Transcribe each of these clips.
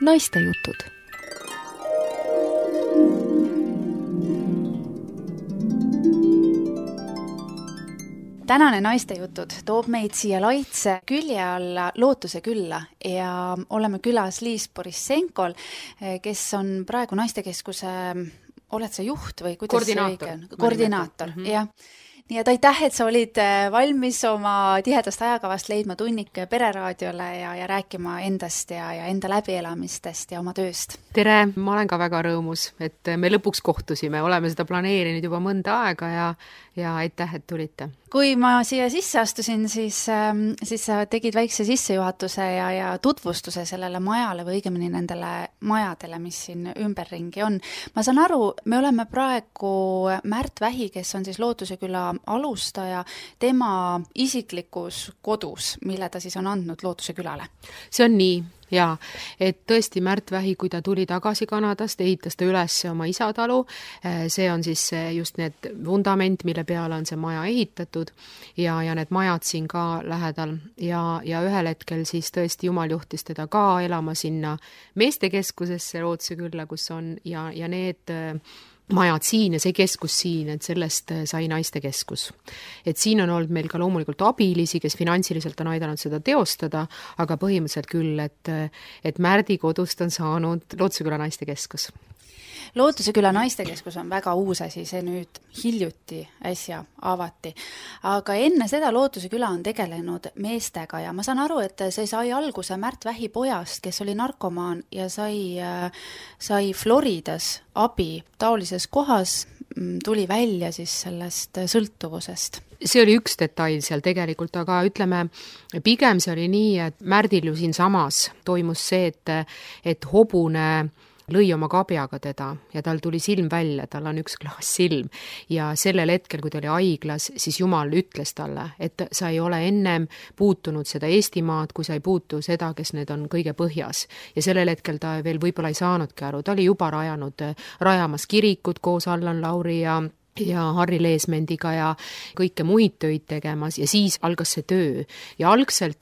naistejutud. Tänane naistejutud toob meid siia Laitse külje alla Lootuse külla ja oleme külas Liis Borissenkol, kes on praegu naistekeskuse, oled sa juht või kuidas koordinaator. See õige on? Koordinaator, jah. Nii et aitäh, et sa olid valmis oma tihedast ajakavast leidma tunnika Pereraadiole ja rääkima endast ja enda läbielamistest ja oma tööst. Tere, ma olen ka väga rõõmus, et me lõpuks kohtusime, oleme seda planeerinud juba mõnda aega ja aitäh, et tulite. Kui ma siia sisse astusin, siis sa tegid väikse sissejuhatuse ja tutvustuse sellele majale või õigemini nendele majadele, mis siin ümberringi on. Ma saan aru, me oleme praegu Märt Vähi, kes on siis Lootuse küla alustaja, tema isiklikus kodus, mille ta siis on andnud Lootuse külale. See on nii. Jaa, et tõesti Märt Vähi, kui ta tuli tagasi Kanadast, ehitas ta üles oma isatalu, see on siis just need vundament, mille peale on see maja ehitatud ja need majad siin ka lähedal ja ühel hetkel siis tõesti Jumal juhtis teda ka elama sinna meestekeskusesse Lootuse külla, kus on ja need majad siin ja see keskus siin, et sellest sai naistekeskus. Et siin on olnud meil ka loomulikult abilisi, kes finantsiliselt on aidanud seda teostada, aga põhimõtteliselt küll, et Märdi kodust on saanud Lootuse küla naistekeskus. Lootuse küla naistekeskus on väga uus asi, see nüüd hiljuti äsja avati. Aga enne seda Lootuse küla on tegelenud meestega ja ma saan aru, et see sai alguse Märt Vähi pojast, kes oli narkomaan ja sai Floridas abi taolises kohas, tuli välja siis sellest sõltuvusest. See oli üks detail seal tegelikult, aga ütleme, pigem see oli nii, et Märdil ju siin samas toimus see, et hobune lõi oma kabjaga teda ja tal tuli silm välja, tal on üks klaas silm ja sellel hetkel, kui ta oli haiglas, siis Jumal ütles talle, et sa ei ole ennem puutunud seda Eestimaad, kui sa ei puutu seda, kes need on kõige põhjas. Ja sellel hetkel ta veel võib-olla ei saanudki aru, ta oli juba rajamas kirikut koos Allan Lauri ja Harri Leesmendiga ja kõike muid töid tegemas ja siis algas see töö. Ja algselt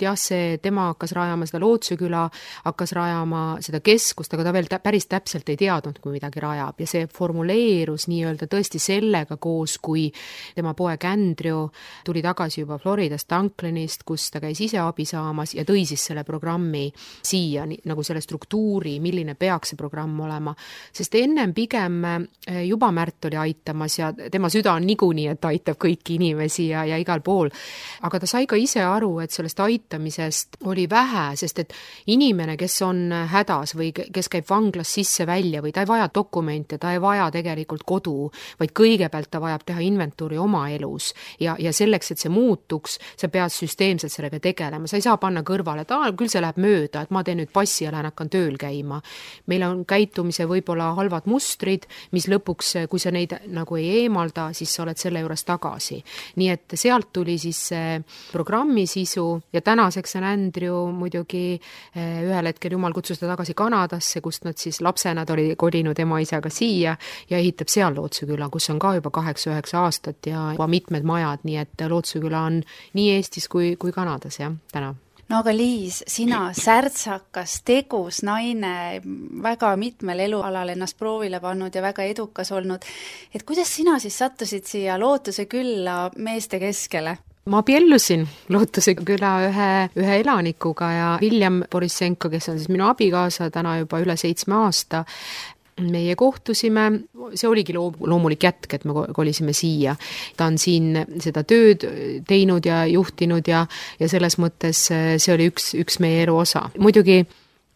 tema hakkas rajama seda Lootuse küla, hakkas rajama seda keskust, aga ta veel päris täpselt ei teadnud, kui midagi rajab. Ja see formuleerus nii-öelda tõesti sellega koos, kui tema poeg Andrew tuli tagasi juba Floridast Dunklinist, kus ta käis ise abi saamas ja tõi siis selle programmi siia, nagu selle struktuuri, milline peaks see programm olema. Sest ennem pigem juba Märt oli aitamas ja tema süda on niikuinii, et aitab kõiki inimesi ja igal pool. Aga ta sai ka ise aru, et sellest aitamisest oli vähe, sest et inimene, kes on hädas või kes käib vanglas sisse välja või ta ei vaja dokumente, ta ei vaja tegelikult kodu, vaid kõigepealt ta vajab teha inventuuri oma elus ja selleks, et see muutuks, sa pead süsteemselt sellega tegelema. Sa ei saa panna kõrvale, et küll see läheb mööda, et ma teen nüüd passi ja lähen hakkan tööl käima. Meil on käitumise võib-olla halvad mustrid, mis lõpuks, kui sa neid nagu ei eemalda, siis sa oled selle juures tagasi. Nii et sealt tuli siis programmi sisu ja tänaseks on Andrew muidugi ühel hetkel Jumal kutsus ta tagasi Kanadasse, kust nad siis lapsena oli kolinud ema isaga siia ja ehitab seal Lootuse küla, kus on ka juba 8-9 aastat ja juba mitmed majad, nii et Lootuse küla on nii Eestis kui Kanadas, täna. No aga Liis, sina särtsakas, tegus naine, väga mitmel elualal ennast proovile pannud ja väga edukas olnud. Et kuidas sina siis sattusid siia Lootuse külla meeste keskele? Ma abiellusin Lootuse küla ühe elanikuga ja William Borissenko, kes on siis minu abikaasa täna juba üle 7 aasta, meie kohtusime, see oligi loomulik jätk, et me kolisime siia. Ta on siin seda tööd teinud ja juhtinud ja selles mõttes see oli üks meie elu osa. Muidugi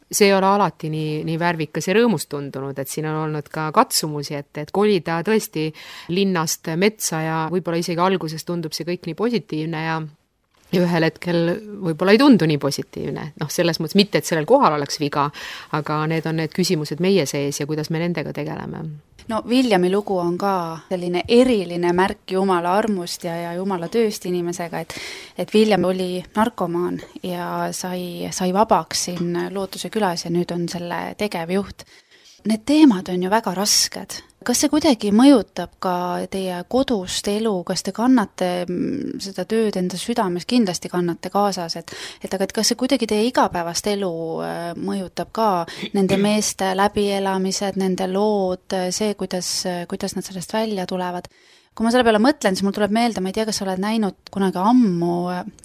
see ei ole alati nii värvikas ja rõõmus tundunud, et siin on olnud ka katsumusi, et kolida tõesti linnast metsa ja võib-olla isegi alguses tundub see kõik nii positiivne ja ühel hetkel võib-olla ei tundu nii positiivne. Selles mõttes mitte, et sellel kohal oleks viga, aga need on need küsimused meie sees ja kuidas me nendega tegeleme. No Williami lugu on ka selline eriline märk Jumala armust ja Jumala tööst inimesega, et William oli narkomaan ja sai vabaks siin Lootuse külas ja nüüd on selle tegevjuht. Need teemad on ju väga rasked. Kas see kuidagi mõjutab ka teie kodust elu, kas te kannate seda tööd enda südames, kindlasti kannate kaasas, aga kas see kuidagi teie igapäevast elu mõjutab ka, nende meeste läbielamised, nende lood, see, kuidas nad sellest välja tulevad? Kui ma selle peale mõtlen, siis mul tuleb meelde, ma ei tea, kas sa oled näinud kunagi ammu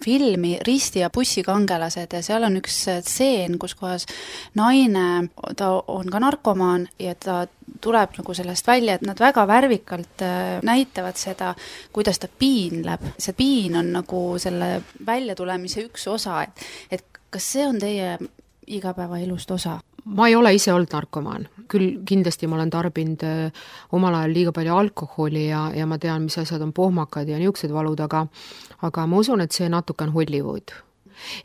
filmi Risti ja bussikangelased ja seal on üks stseen, kus kohas naine, ta on ka narkomaan ja ta tuleb nagu sellest välja, et nad väga värvikalt näitavad seda, kuidas ta piinleb. See piin on nagu selle väljatulemise üks osa, et kas see on teie igapäevaelust osa? Ma ei ole ise olnud narkomaan, küll kindlasti ma olen tarbinud omal ajal liiga palju alkoholi ja ma tean, mis asjad on pohmakad ja niisugused valud, aga ma usun, et see natuke on Hollywood.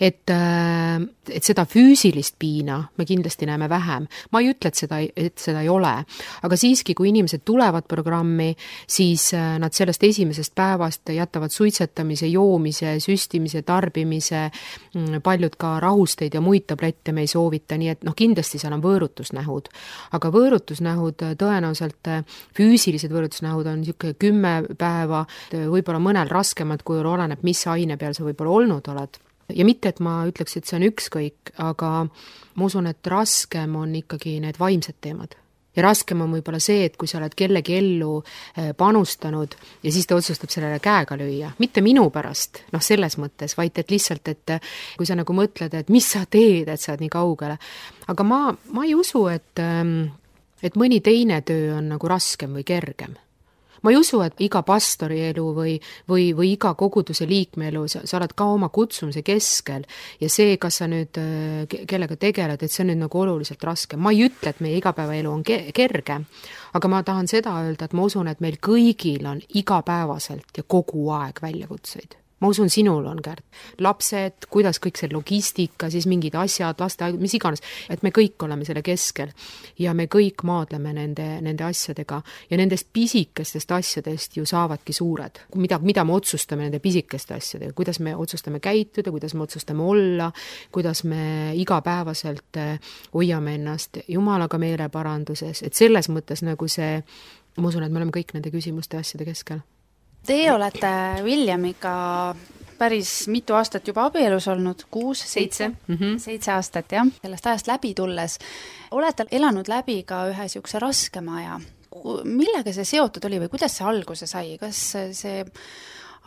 Et seda füüsilist piina me kindlasti näeme vähem. Ma ei ütle, et seda ei ole, aga siiski, kui inimesed tulevad programmi, siis nad sellest esimesest päevast jätavad suitsetamise, joomise, süstimise, tarbimise, paljud ka rahusteid ja muid tablette me ei soovita, nii et kindlasti seal on võõrutusnähud. Aga võõrutusnähud, tõenäoliselt füüsilised võõrutusnähud on niisugune 10 päeva, võib-olla mõnel raskemad, kui oleneb, mis aine peal sa võib-olla olnud oled. Ja mitte, et ma ütleks, et see on ükskõik, aga ma usun, et raskem on ikkagi need vaimsed teemad. Ja raskem on võib-olla see, et kui sa oled kellegi ellu panustanud ja siis ta otsustab sellele käega lüüa. Mitte minu pärast, selles mõttes, vaid et lihtsalt, et kui sa nagu mõtled, et mis sa teed, et sa oled nii kaugele. Aga ma ei usu, et mõni teine töö on nagu raskem või kergem. Ma ei usu, et iga pastori elu või iga koguduse liikme elu, sa oled ka oma kutsumise keskel ja see, kas sa nüüd kellega tegeled, et see on nüüd nagu oluliselt raske. Ma ei ütle, et meie igapäevaelu on kerge, aga ma tahan seda öelda, et ma usun, et meil kõigil on igapäevaselt ja kogu aeg väljakutseid. Ma usun, sinul on, Kärt. Lapsed, kuidas kõik see logistika, siis mingid asjad, lasteaed, mis iganes, et me kõik oleme selle keskel ja me kõik maadleme nende asjadega ja nendest pisikestest asjadest ju saavadki suured. Mida me otsustame nende pisikeste asjadega, kuidas me otsustame käituda, kuidas me otsustame olla, kuidas me igapäevaselt hoiame ennast Jumalaga meeleparanduses, et selles mõttes nagu see, ma usun, et me oleme kõik nende küsimuste asjade keskel. Teie olete Williamiga päris mitu aastat juba abielus olnud, 7 aastat, jah. Sellest ajast läbi tulles olete elanud läbi ka ühe niisuguse raskema aja. Millega see seotud oli või kuidas see alguse sai? Kas see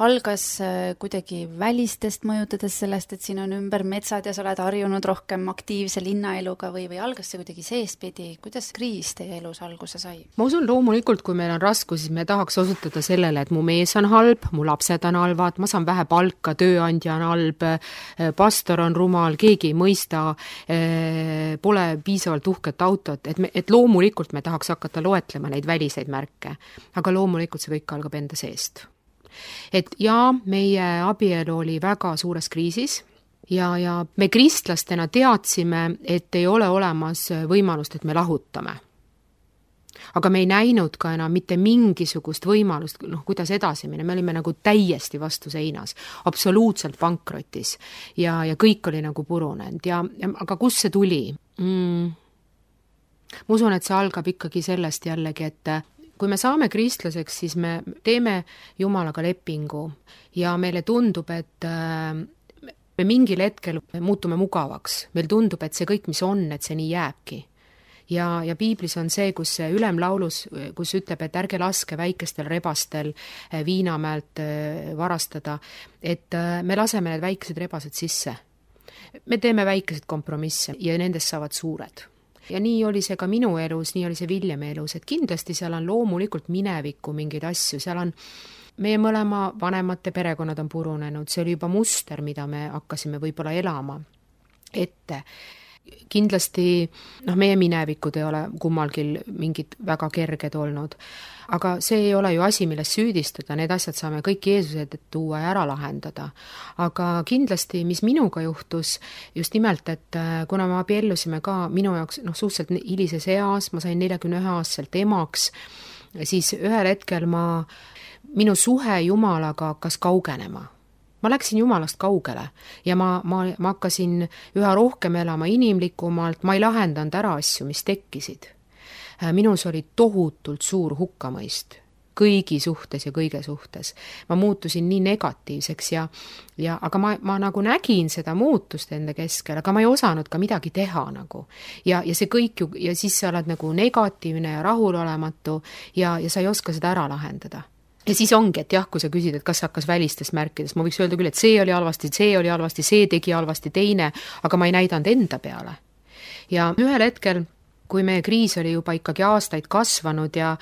algas kuidagi välistest mõjutades sellest, et siin on ümber metsad ja sa oled harjunud rohkem aktiivse linnaeluga või algas see kuidagi seespidi? Kuidas kriis teie elus alguse sai? Ma usun loomulikult, kui meil on raskus, siis me tahaks osutada sellele, et mu mees on halb, mu lapsed on halvad, ma saan vähe palka, tööandja on halb, pastor on rumal, keegi ei mõista, pole piisavalt uhket autot, et loomulikult me tahaks hakata loetlema neid väliseid märke, aga loomulikult see kõik algab enda seest. Et meie abielu oli väga suures kriisis ja me kristlastena teadsime, et ei ole olemas võimalust, et me lahutame. Aga me ei näinud ka enam mitte mingisugust võimalust, kuidas edasi minna, me olime nagu täiesti vastu seinas, absoluutselt pankrotis ja kõik oli nagu purunenud aga kust see tuli? Ma usun, et see algab ikkagi sellest jällegi, et kui me saame kristlaseks, siis me teeme Jumalaga lepingu ja meile tundub, et me mingil hetkel muutume mugavaks. Meil tundub, et see kõik, mis on, et see nii jääbki. Ja piiblis on see, kus ülemlaulus, kus ütleb, et ärge laske väikestel rebastel Viinamäelt varastada, et me laseme need väikesed rebased sisse. Me teeme väikesed kompromisse ja nendest saavad suured. Ja nii oli see ka minu elus, nii oli see Williami elus, et kindlasti seal on loomulikult minevikku mingeid asju, seal on meie mõlema vanemate perekonnad on purunenud, see oli juba muster, mida me hakkasime võib-olla elama ette. Kindlasti, meie minevikud ei ole kummalgi mingid väga kerged olnud, aga see ei ole ju asi, millest süüdistada, need asjad saame kõik Jeesuse tuua ja ära lahendada. Aga kindlasti, mis minuga juhtus, just nimelt, et kuna me abiellusime ka minu jaoks suhteliselt hilises eas, ma sain 41-aastaselt emaks, siis ühel hetkel minu suhe Jumalaga hakkas kaugenema. Ma läksin Jumalast kaugele ja ma hakkasin üha rohkem elama inimlikumalt, ma ei lahendanud ära asju, mis tekkisid. minus oli tohutult suur hukkamõist kõigi suhtes ja kõige suhtes. Ma muutusin nii negatiivseks aga ma nagu nägin seda muutust enda keskel, aga ma ei osanud ka midagi teha nagu. Ja see kõik ju, ja siis sa oled nagu negatiivne ja rahulolematu ja sa ei oska seda ära lahendada. Ja siis ongi, et jah, kui sa küsid, et kas hakkas välistest märkidest, ma võiks öelda küll, et see oli halvasti, see tegi halvasti teine, aga ma ei näidanud enda peale. Ja ühel hetkel, kui meie kriis oli juba ikkagi aastaid kasvanud ja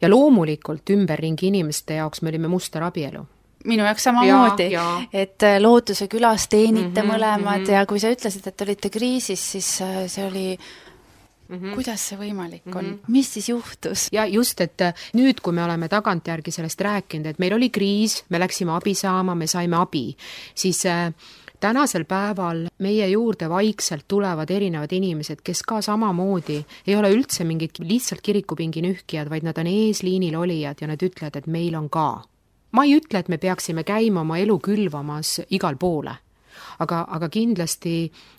loomulikult ümberringi inimeste jaoks me olime musterabielu. Minu jaoks samamoodi, et Lootuse külas teenite mõlemad ja kui sa ütlesid, et olite kriisis, siis see oli... Kuidas see võimalik on? Mis siis juhtus? Ja just, et nüüd, kui me oleme tagantjärgi sellest rääkinud, et meil oli kriis, me läksime abi saama, me saime abi, siis tänasel päeval meie juurde vaikselt tulevad erinevad inimesed, kes ka samamoodi ei ole üldse mingid lihtsalt kirikupingi nühkijad, vaid nad on eesliinil olijad ja nad ütlevad, et meil on ka. Ma ei ütle, et me peaksime käima oma elu külvamas igal poole. Aga kindlasti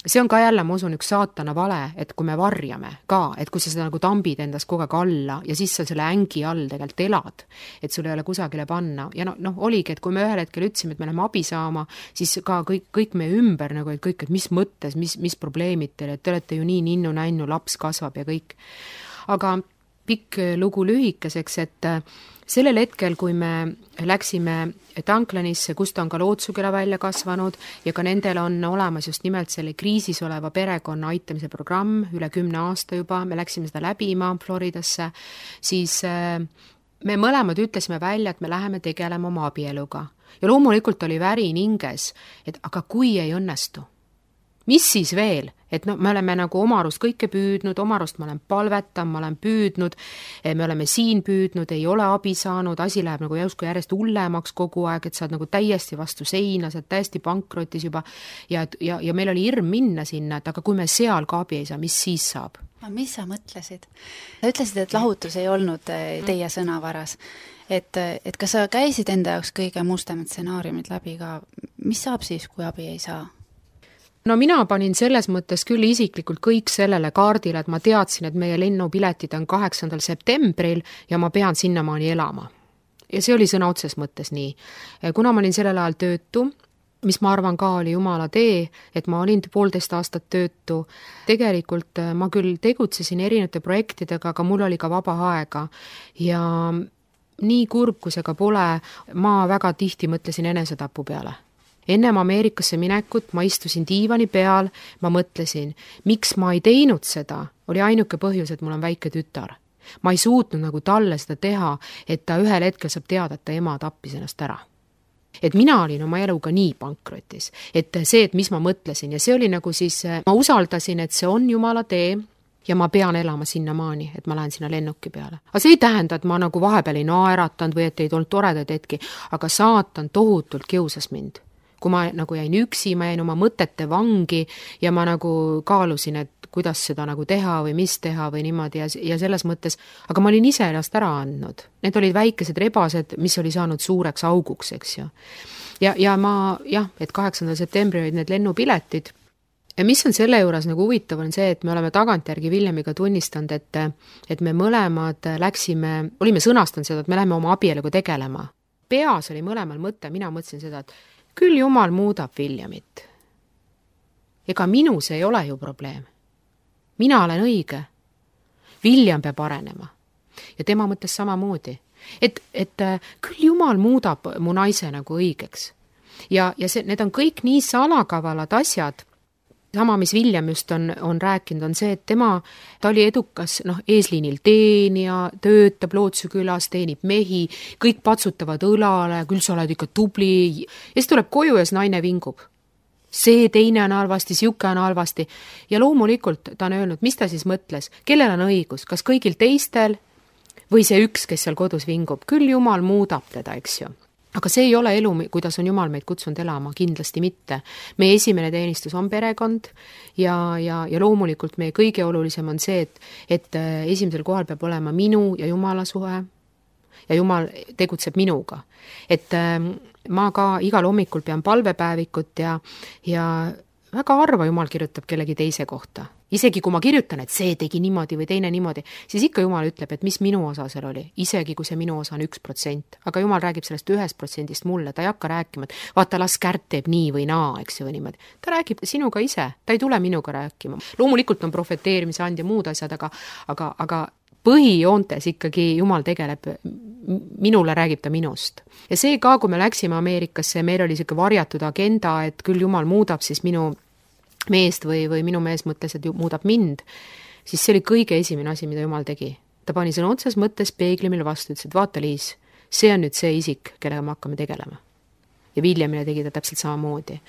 see on ka jälle, ma usun, üks saatana vale, et kui me varjame ka, et kui sa seda nagu tambid endast kogu aeg alla ja siis sa selle ängi all tegelikult elad, et sul ei ole kusagile panna. Ja oligi, et kui me ühel hetkel ütlesime, et me läheme abi saama, siis ka kõik meie ümber nagu, et kõik, et mis mõttes, mis probleemid teile, et te olete ju nii ninnu-nännu, laps kasvab ja kõik. Aga pikk lugu lühikeseks, et sellel hetkel, kui me läksime Tanklanisse, kust on ka Lootsuküla välja kasvanud ja ka nendel on olemas just nimelt selle kriisis oleva perekonna aitamise programm üle 10 aasta juba, me läksime seda läbima Floridasse, siis me mõlemad ütlesime välja, et me läheme tegelema oma abieluga. Ja loomulikult oli värin hinges, et aga kui ei õnnestu? Mis siis veel? Et me oleme nagu oma arust kõike püüdnud, oma arust ma olen palvetam, ma olen püüdnud, me oleme siin püüdnud, ei ole abi saanud, asi läheb nagu jäusku järjest hullemaks kogu aeg, et sa oled nagu täiesti vastu seina, sa oled täiesti pankrotis juba ja meil oli hirm minna sinna, et aga kui me seal ka abi ei saa, mis siis saab? Mis sa mõtlesid? Sa ütlesid, et lahutus ei olnud teie sõnavaras. Et kas sa käisid enda jaoks kõige mustemad stsenaariumid läbi ka? Mis saab siis, kui abi ei saa? No mina panin selles mõttes küll isiklikult kõik sellele kaardile, et ma teadsin, et meie lennupiletid on 8. septembril ja ma pean sinnamaani elama. Ja see oli sõna otses mõttes nii. Kuna ma olin sellel ajal töötu, mis ma arvan ka oli jumala tee, et ma olin 1,5 aastat töötu, tegelikult ma küll tegutsesin erinevate projektidega, aga mul oli ka vaba aega ja nii kurb, kui see ka pole, ma väga tihti mõtlesin enesetapu peale. Ennem Ameerikasse minekut ma istusin diivani peal, ma mõtlesin, miks ma ei teinud seda, oli ainuke põhjus, et mul on väike tütar. Ma ei suutnud nagu talle seda teha, et ta ühel hetkel saab teada, et ta ema tappis ennast ära. Et mina olin oma eluga nii pankrotis, et see, et mis ma mõtlesin ja see oli nagu siis, ma usaldasin, et see on jumala tee ja ma pean elama sinnamaani, et ma lähen sinna lennuki peale. Aga see ei tähenda, et ma nagu vahepeal ei naeratanud või et ei olnud toredaid hetki, aga saatan tohutult kiusas mind. Kui ma nagu jäin üksi, ma jäin oma mõtete vangi ja ma nagu kaalusin, et kuidas seda nagu teha või mis teha või niimoodi ja selles mõttes, aga ma olin ise ennast ära andnud. Need olid väikesed rebased, mis oli saanud suureks auguks, eks ju. Ja ma, et 8. septembri olid need lennupiletid. Ja mis on selle juures nagu huvitav on see, et me oleme tagantjärgi Viljamiga tunnistanud, et me mõlemad olime sõnastanud seda, et me läheme oma abieluga tegelema. Peas oli mõlemal mõte, mina mõtlesin seda, et küll jumal muudab Viljamit. Ega minus ei ole ju probleem. Mina olen õige. Viljam peab arenema. Ja tema mõtles samamoodi. Et küll jumal muudab mu naise nagu õigeks. Ja need on kõik nii salakavalad asjad. Sama, mis Viljam just on rääkinud, on see, et ta oli edukas eesliinil teenija, töötab Lootsukülas, teenib mehi, kõik patsutavad õlale, küll sa oled ikka tubli, ja siis tuleb koju ja naine vingub. See teine on halvasti, siuke on halvasti. Ja loomulikult ta on öelnud, mis ta siis mõtles, kellel on õigus, kas kõigil teistel või see üks, kes seal kodus vingub, küll jumal muudab teda, eks ju. Aga see ei ole elu, kuidas on jumal meid kutsunud elama, kindlasti mitte. Meie esimene teenistus on perekond ja loomulikult meie kõige olulisem on see, et esimesel kohal peab olema minu ja jumala suhe ja jumal tegutseb minuga. Et ma ka igal hommikul pean palvepäevikut ja väga harva Jumal kirjutab kellegi teise kohta. Isegi kui ma kirjutan, et see tegi niimoodi või teine niimoodi, siis ikka Jumal ütleb, et mis minu osa seal oli, isegi kui see minu osa on 1%. Aga Jumal räägib sellest 1% mulle, ta ei hakka rääkima, et vaata, las Kärt teeb nii või naa, eks ju, või niimoodi. Ta räägib sinuga ise, ta ei tule minuga rääkima. Loomulikult on profeteerimise and ja muud asjad, aga põhijoontes ikkagi Jumal tegeleb, minule räägib ta minust. Ja see ka, kui me läksime Ameerikasse, meil oli siuke varjatud agenda, et küll Jumal muudab siis minu meest või minu mees mõtles, et muudab mind, siis see oli kõige esimene asi, mida Jumal tegi. Ta pani sõna otses mõttes peegli meile vastu, ütles, et vaata Liis, see on nüüd see isik, kellega me hakkame tegelema. Ja Williamile tegi ta täpselt samamoodi.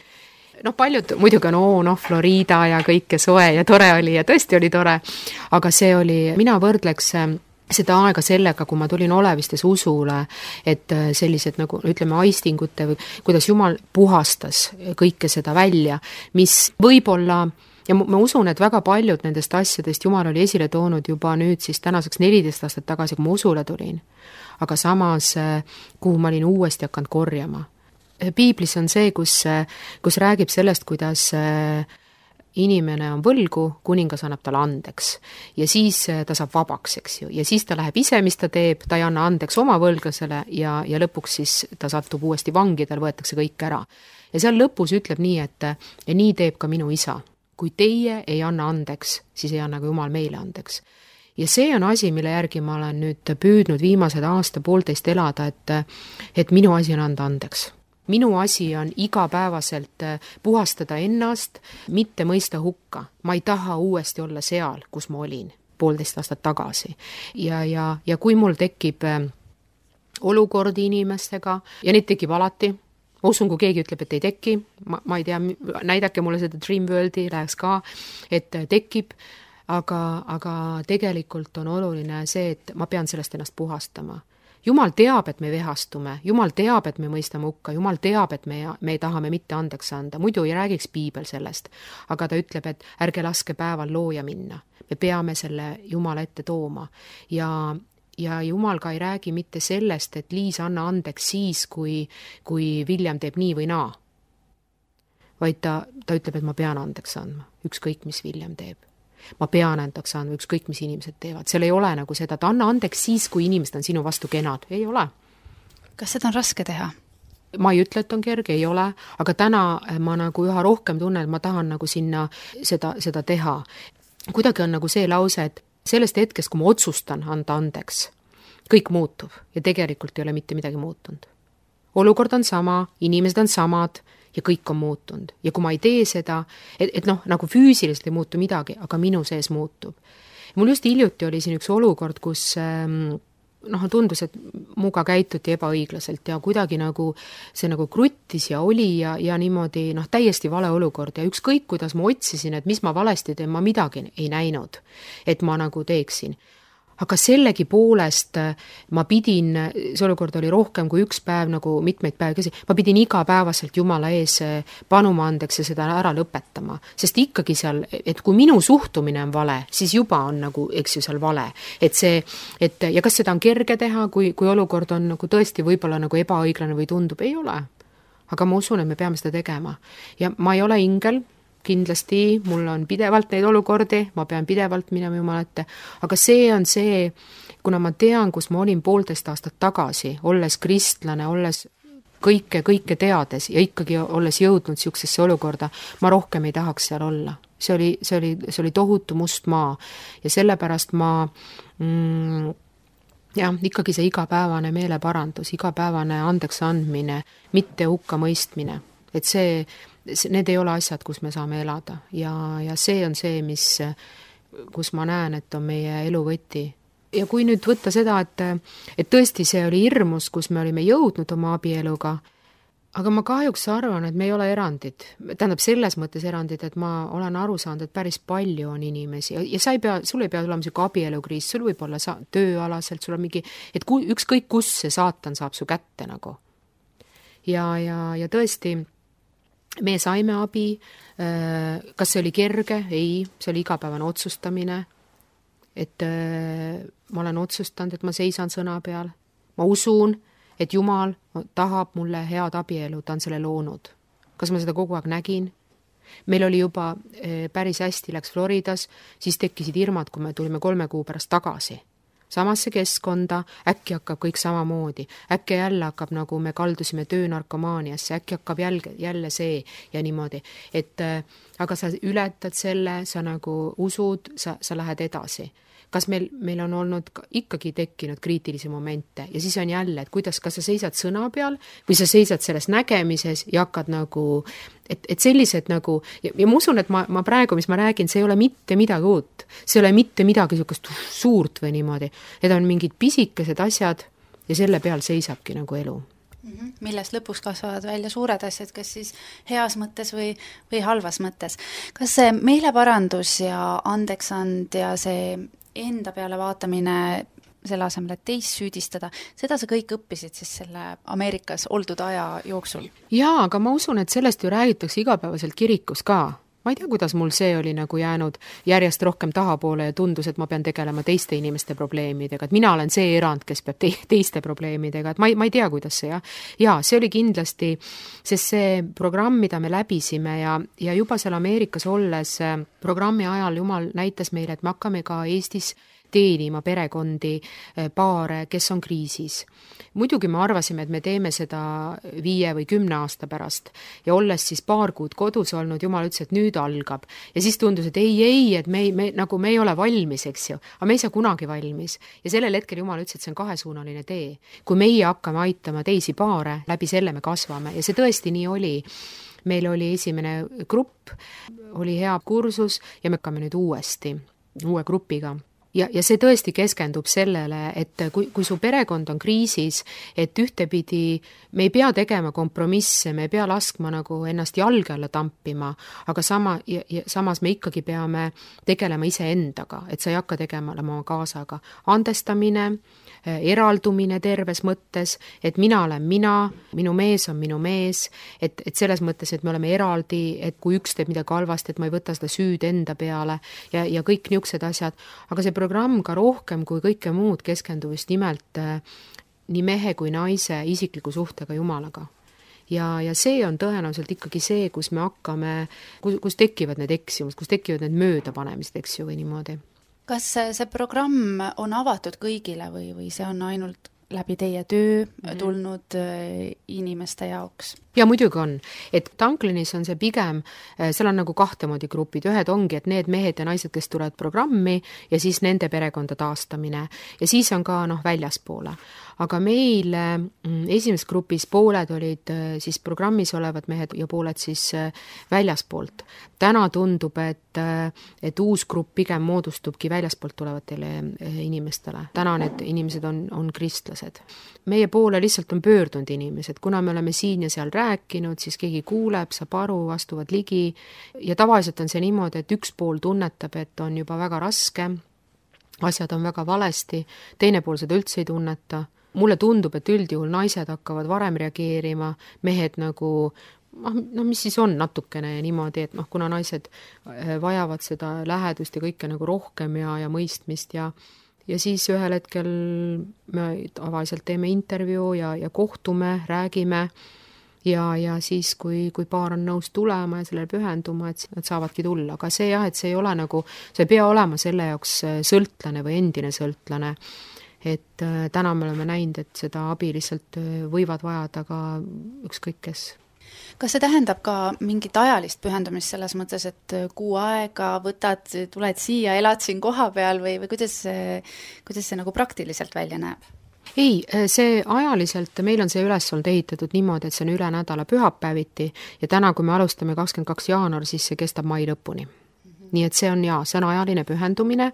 Paljud muidugi on, Florida ja kõike soe ja tore oli ja tõesti oli tore, aga see oli, mina võrdleks seda aega sellega, kui ma tulin Olevistes usule, et sellised nagu ütleme aistingute või kuidas Jumal puhastas kõike seda välja, mis võib-olla, ja ma usun, et väga paljud nendest asjadest Jumal oli esile toonud juba nüüd siis tänaseks 14 aastat tagasi, kui ma usule tulin, aga samas, kuhu ma olin uuesti hakanud korjama. Piiblis on see, kus räägib sellest, kuidas inimene on võlgu, kuningas annab talle andeks ja siis ta saab vabaks, eks ju, ja siis ta läheb ise, mis ta teeb, ta ei anna andeks oma võlglasele ja lõpuks siis ta satub uuesti vangi, tal võetakse kõik ära. Ja seal lõpus ütleb nii, et ja nii teeb ka minu isa. Kui teie ei anna andeks, siis ei anna ka Jumal meile andeks. Ja see on asi, mille järgi ma olen nüüd püüdnud viimased aasta-poolteist elada, et minu asi on anda andeks. Minu asi on igapäevaselt puhastada ennast, mitte mõista hukka. Ma ei taha uuesti olla seal, kus ma olin 1,5 aastat tagasi. Ja kui mul tekib olukordi inimestega, ja neid tekib alati, ma usun, kui keegi ütleb, et ei teki, ma ei tea, näidake mulle seda Dream Worldi, läheks ka, et tekib, aga tegelikult on oluline see, et ma pean sellest ennast puhastama. Jumal teab, et me vehastume, Jumal teab, et me mõistame hukka, Jumal teab, et me tahame mitte andeks anda, muidu ei räägiks Piibel sellest, aga ta ütleb, et ärge laske päeval looja minna, me peame selle Jumala ette tooma ja Jumal ka ei räägi mitte sellest, et Liis anna andeks siis, kui William teeb nii või naa, vaid ta ütleb, et ma pean andeks andma, ükskõik mis William teeb. Ma pean andeks andma, ükskõik mis inimesed teevad. Seal ei ole nagu seda, et anna andeks siis, kui inimesed on sinu vastu kenad. Ei ole. Kas seda on raske teha? Ma ei ütle, et on kerge, ei ole, aga täna ma nagu üha rohkem tunnen, et ma tahan nagu sinna seda teha. Kuidagi on nagu see lause, et sellest hetkest, kui ma otsustan anda andeks, kõik muutub ja tegelikult ei ole mitte midagi muutunud. Olukord on sama, inimesed on samad, ja kõik on muutunud. Ja kui ma ei tee seda, et nagu füüsiliselt ei muutu midagi, aga minu sees muutub. Mul just hiljuti oli siin üks olukord, kus tundus, et muga käituti ebaõiglaselt ja kuidagi nagu see nagu kruttis ja oli ja niimoodi täiesti vale olukord ja ükskõik, kuidas ma otsisin, et mis ma valesti teen, ma midagi ei näinud, et ma nagu teeksin. Aga sellegi poolest ma pidin, see olukord oli rohkem kui üks päev, nagu mitmeid päev käsi, ma pidin igapäevaselt Jumala ees panuma andeks ja seda ära lõpetama. Sest ikkagi seal, et kui minu suhtumine on vale, siis juba on nagu, eks ju, seal vale. Ja kas seda on kerge teha, kui olukord on nagu tõesti võib-olla nagu ebaõiglane või tundub, ei ole. Aga ma usun, et me peame seda tegema. Ja ma ei ole ingel, kindlasti mul on pidevalt neid olukordi, ma pean pidevalt minema Jumala ette, aga see on see, kuna ma tean, kus ma olin 1,5 aastat tagasi, olles kristlane, olles kõike teades ja ikkagi olles jõudnud siuksesse olukorda, ma rohkem ei tahaks seal olla. See oli tohutu must maa ja sellepärast ma ikkagi see igapäevane meeleparandus, igapäevane andeks andmine, mitte hukka mõistmine, et need ei ole asjad, kus me saame elada ja see on see, kus ma näen, et on meie elu võti. Ja kui nüüd võtta seda, et tõesti see oli hirmus, kus me olime jõudnud oma abieluga, aga ma kahjuks arvan, et me ei ole erandid. Tähendab selles mõttes erandid, et ma olen aru saanud, et päris palju on inimesi ja sul ei pea olema selline abielukriis, sul võib olla tööalaselt, sul on mingi, et ükskõik kus see saatan saab su kätte nagu. Ja tõesti, me saime abi, kas see oli kerge? Ei, see oli igapäevane otsustamine, et ma olen otsustanud, et ma seisan sõna peal. Ma usun, et Jumal tahab mulle head abielu, ta on selle loonud. Kas ma seda kogu aeg nägin? meil oli juba päris hästi, läks Floridas, siis tekkisid hirmad, kui me tulime 3 kuu pärast tagasi samasse keskkonda, äkki hakkab kõik samamoodi, äkki jälle hakkab, nagu me kaldusime töönarkomaaniasse, äkki hakkab jälle see ja niimoodi, et aga sa ületad selle, sa nagu usud, sa lähed edasi. Kas meil on olnud ikkagi tekkinud kriitilisi momente ja siis on jälle, et kuidas, kas sa seisad sõna peal või sa seisad selles nägemises ja hakkad nagu, et sellised nagu, ja ma usun, et ma praegu, mis ma räägin, see ei ole mitte midagi uut, see ei ole mitte midagi niisugust suurt või niimoodi, need on mingid pisikesed asjad ja selle peal seisabki nagu elu. Millest lõpuks kasvavad välja suured asjad, kas siis heas mõttes või halvas mõttes. Kas see meeleparandus ja andeksand ja see enda peale vaatamine selle asemel, et teist süüdistada, seda sa kõik õppisid siis selle Ameerikas oldud aja jooksul? Jaa, aga ma usun, et sellest ju räägitakse igapäevaselt kirikus ka. Ma ei tea, kuidas mul see oli nagu jäänud järjest rohkem tahapoole ja tundus, et ma pean tegelema teiste inimeste probleemidega, et mina olen see erand, kes peab teiste probleemidega, et ma ei tea, kuidas see, ja see oli kindlasti, sest see programm, mida me läbisime ja juba seal Ameerikas olles programmi ajal Jumal näitas meile, et me hakkame ka Eestis teenima perekondi, paare, kes on kriisis. Muidugi me arvasime, et me teeme seda 5 või 10 aasta pärast ja olles siis 2 kuud kodus olnud, Jumal ütles, et nüüd algab. Ja siis tundus, et ei, et me ei ole valmis, eks ju, aga me ei saa kunagi valmis. Ja sellel hetkel Jumal ütles, et see on 2-suunaline tee. Kui meie hakkame aitama teisi paare, läbi selle me kasvame ja see tõesti nii oli. Meil oli esimene grupp, oli hea kursus ja me hakkame nüüd uue grupiga. Ja see tõesti keskendub sellele, et kui su perekond on kriisis, et ühtepidi me ei pea tegema kompromisse, me ei pea laskma nagu ennast jalge alla tampima, aga samas me ikkagi peame tegelema iseendaga, et sa ei hakka tegema oma kaasaga. Andestamine, eraldumine terves mõttes, et mina olen mina, minu mees on minu mees, et selles mõttes, et me oleme eraldi, et kui üks teeb midagi halvasti, et ma ei võta seda süüd enda peale ja kõik niisugused asjad, aga see programm ka rohkem kui kõike muud keskendub just nimelt nii mehe kui naise isikliku suhtega Jumalaga. Ja see on tõenäoliselt ikkagi see, kus me hakkame, kus tekivad need eksimused, kus tekivad need möödapanemised, eks ju, või niimoodi. Kas see programm on avatud kõigile või see on ainult läbi teie töö tulnud inimeste jaoks? Ja muidugi on, et Tanklinis on see pigem, seal on nagu 2 moodi grupid, ühed ongi, et need mehed ja naised, kes tulevad programmi ja siis nende perekonda taastamine ja siis on ka väljaspoole. Aga meil esimeses grupis pooled olid siis programmis olevad mehed ja pooled siis väljaspoolt. Täna tundub, et uus grupp pigem moodustubki väljaspoolt tulevatele inimestele. Täna need inimesed on kristlased. Meie poole lihtsalt on pöördunud inimesed, kuna me oleme siin ja seal rääkinud, siis keegi kuuleb, saab aru, astuvad ligi ja tavaliselt on see niimoodi, et üks pool tunnetab, et on juba väga raske, asjad on väga valesti, teine pool seda üldse ei tunneta. Mulle tundub, et üldjuhul naised hakkavad varem reageerima, mehed nagu, mis siis on natukene niimoodi, et kuna naised vajavad seda lähedust ja kõike nagu rohkem ja mõistmist ja siis ühel hetkel me tavaliselt teeme intervjuu ja kohtume, räägime ja siis, kui paar on nõus tulema ja sellele pühenduma, et nad saavadki tulla. Aga see et see ei ole nagu, see ei pea olema selle jaoks sõltlane või endine sõltlane. Et täna me oleme näinud, et seda abi lihtsalt võivad vajada ka ükskõik kes. Kas see tähendab ka mingit ajalist pühendumist selles mõttes, et kuu aega võtad, tuled siia, elad siin koha peal või kuidas see nagu praktiliselt välja näeb? Ei, see ajaliselt, meil on see üles olnud ehitatud niimoodi, et see on üle nädala pühapäeviti ja täna, kui me alustame 22. jaanuar, siis see kestab mai lõpuni. Nii et see on ajaline pühendumine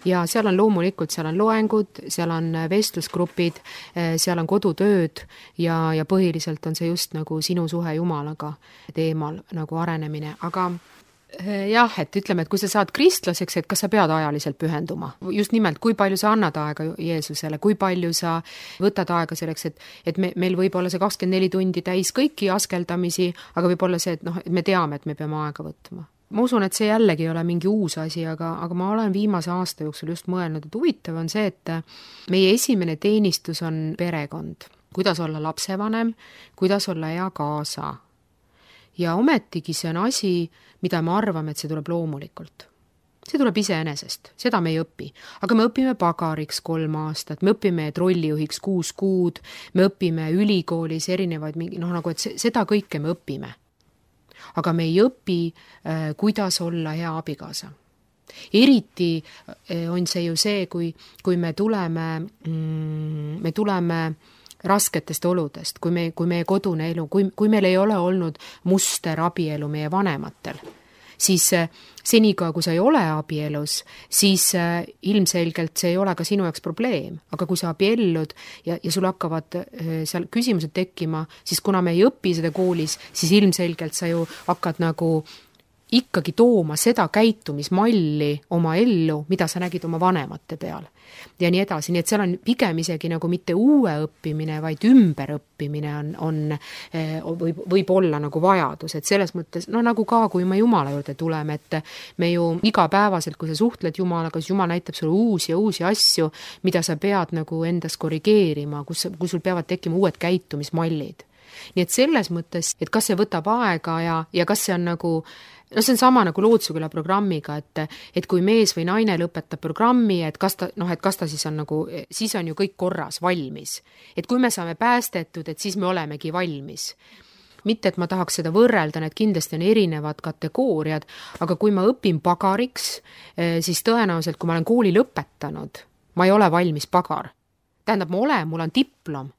ja seal on loomulikult, seal on loengud, seal on vestlusgrupid, seal on kodutööd ja põhiliselt on see just nagu sinu suhe Jumalaga teemal nagu arenemine, aga jah, et ütleme, et kui sa saad kristlaseks, et kas sa pead ajaliselt pühenduma? Just nimelt, kui palju sa annad aega Jeesusele, kui palju sa võtad aega selleks, et meil võib olla see 24 tundi täis kõiki askeldamisi, aga võib olla see, et me teame, et me peame aega võtma. Ma usun, et see jällegi ei ole mingi uus asi, aga ma olen viimase aasta jooksul just mõelnud, et huvitav on see, et meie esimene teenistus on perekond. Kuidas olla lapsevanem, kuidas olla hea kaasa. ja ometigi see on asi, mida me arvame, et see tuleb loomulikult. See tuleb iseenesest, seda me ei õpi. Aga me õpime pagariks 3 aastat, me õpime trollijuhiks 6 kuud, me õpime ülikoolis erinevaid, nagu et seda kõike me õpime. Aga me ei õpi, kuidas olla hea abikaasa. Eriti on see ju see, kui me tuleme rasketest oludest, kui meie kodune elu, kui meil ei ole olnud muster abielu meie vanematel, siis senikaua, kui sa ei ole abielus, siis ilmselgelt see ei ole ka sinu jaoks probleem. Aga kui sa abiellud ja sul hakkavad seal küsimused tekkima, siis kuna me ei õpi seda koolis, siis ilmselgelt sa ju hakkad nagu ikkagi tooma seda käitumismalli oma ellu, mida sa nägid oma vanemate peal. Ja nii edasi, nii et seal on pigem isegi nagu mitte uue õppimine, vaid ümberõppimine võib olla nagu vajadus, et selles mõttes, nagu ka, kui me Jumala juurde tuleme, et me ju igapäevaselt, kui sa suhtled Jumalaga, siis Jumal näitab sulle uusi asju, mida sa pead nagu endas korrigeerima, kus sul peavad tekkima uued käitumismallid. Nii et selles mõttes, et kas see võtab aega ja kas see on nagu see on sama nagu Loodusüküla programmiga, et kui mees või naine lõpetab programmi, et kas ta siis on nagu, siis on ju kõik korras, valmis. Et kui me saame päästetud, et siis me olemegi valmis. Mitte, et ma tahaks seda võrrelda, need kindlasti on erinevad kategooriad, aga kui ma õpin pagariks, siis tõenäoliselt, kui ma olen kooli lõpetanud, ma ei ole valmis pagar. Tähendab, mul on diplom.